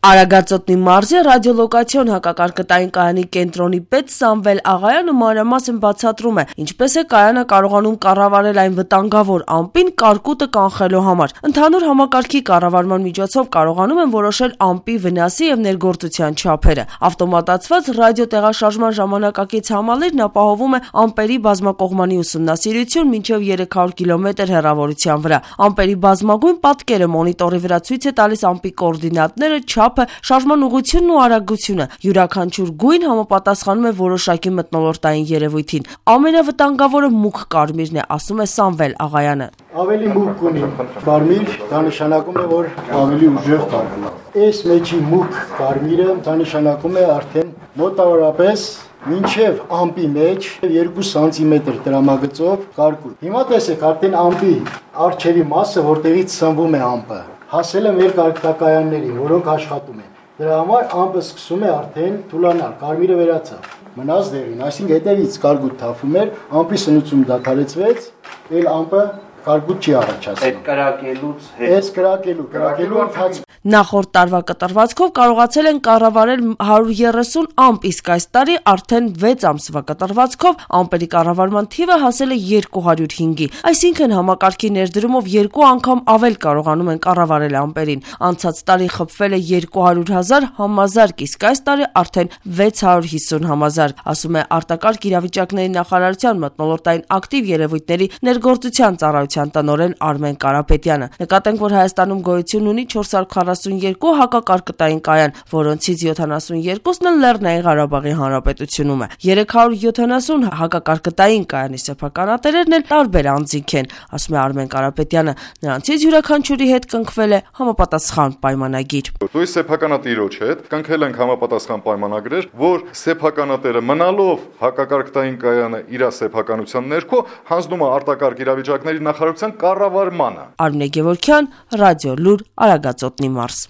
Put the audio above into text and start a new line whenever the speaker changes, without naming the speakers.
Արագածոտնի մարզի ռադիոլոկացիոն հակակարգտային կայանի կենտրոնի պետ Սամվել Աղայանը մանրամասն բացատրում է, ինչպես է կայանը կարողանում կառավարել այն վտանգավոր ամպին կարկուտը կանխելու համար։ Ընդհանուր համակարգի կառավարման միջոցով կարողանում են որոշել ամպի վնասի եւ ներգործության չափերը։ Ավտոմատացված ռադիոտեղաշարժման ժամանակակից համալիրն ապահովում է ամպերի բազմակողմանի ուսումնասիրություն մինչեւ 300 կիլոմետր հեռավորության վրա։ Ամպերի բազմագույն պատկերը մոնիտորի վրա ցույց է տալիս ամպի կոորդինատները, չափը, շարժման ուղղությունն ու արագությունը։ Յուրաքանչյուր գույն համապատասխանում է որոշակի մթնոլորտային երևույթին։ Ամենավտանգավորը մուգ կարմիրն է, ասում է Սամվել Աղայանը։
Ավելի մուգ ունի կարմիր, դա նշանակում է, որ ավելի ուժեղ կարկուտ է։ Այս մեջի մուգ կարմիրը դա նշանակում է արդեն մոտավորապես մինչև ամպի մեջ 2 սանտիմետր տրամագծով կարկուտ։ Հիմա տեսեք, արդեն ամպի առջևի մասը, որտեղից սնվում է ամպը, հասել է մեր կարգտակայաններին, որոնք աշխատում են։ Դրա համար ամպը սկսում է արդեն թուլանալ, կարմիրը վերացավ, մնաց դեղին, այսինքն հետևից կարկուտ թափում էր, ամպի սնուցումը դադարեցվեց, այլ ամպը կարկուտ չի առաջացնում։
Այդ կրակելուց հետ։
Այս կրակելու ընթացքում
Նախորդ տարվա կտրվածքով կարողացել են կառավարել 130 ամպ, իսկ այս տարի արդեն 6 ամսվա կտրվածքով ամպերի կառավարման թիվը հասել է 205-ի, այսինքն համակարգի ներդրումով 2 անգամ ավել կարողանում են կառավարել ամպերին։ Անցած տարի խփվել է 200,000 համազարկ, իսկ այս տարի արդեն 650,000, ասում է արտակարգ իրավիճակների նախարարության մթնոլորտային ակտիվ երևույթների ներգործության ծառայության տնօրեն Արմեն Կարապետյանը։ Նկատենք, որ Հայաստանում գոյություն ունի 442 հակակարգտային կայան, որոնցից 72-ն Լեռնային Ղարաբաղի Հանրապետությունում է։ 370 հակակարգտային կայանի սեփականատերերն էլ տարբեր անձինք են, ասում է Արմեն Կարապետյանը։ Նրանցից յուրաքանչյուրի հետ կնքվել է համապատասխան պայմանագիր։
Դույս սեփականատիրոջ հետ կնքել ենք համապատասխան պայմանագրեր, որ սեփականատերը մնալով հակակարգտային կայանը իր սեփականության ներքո հանձնում է արտակարգ իրավիճակների նախարարության կառավարմանը։
Արմինե Գևորգյան, Ռադիո Լուր, Արագածոտնի մարզ։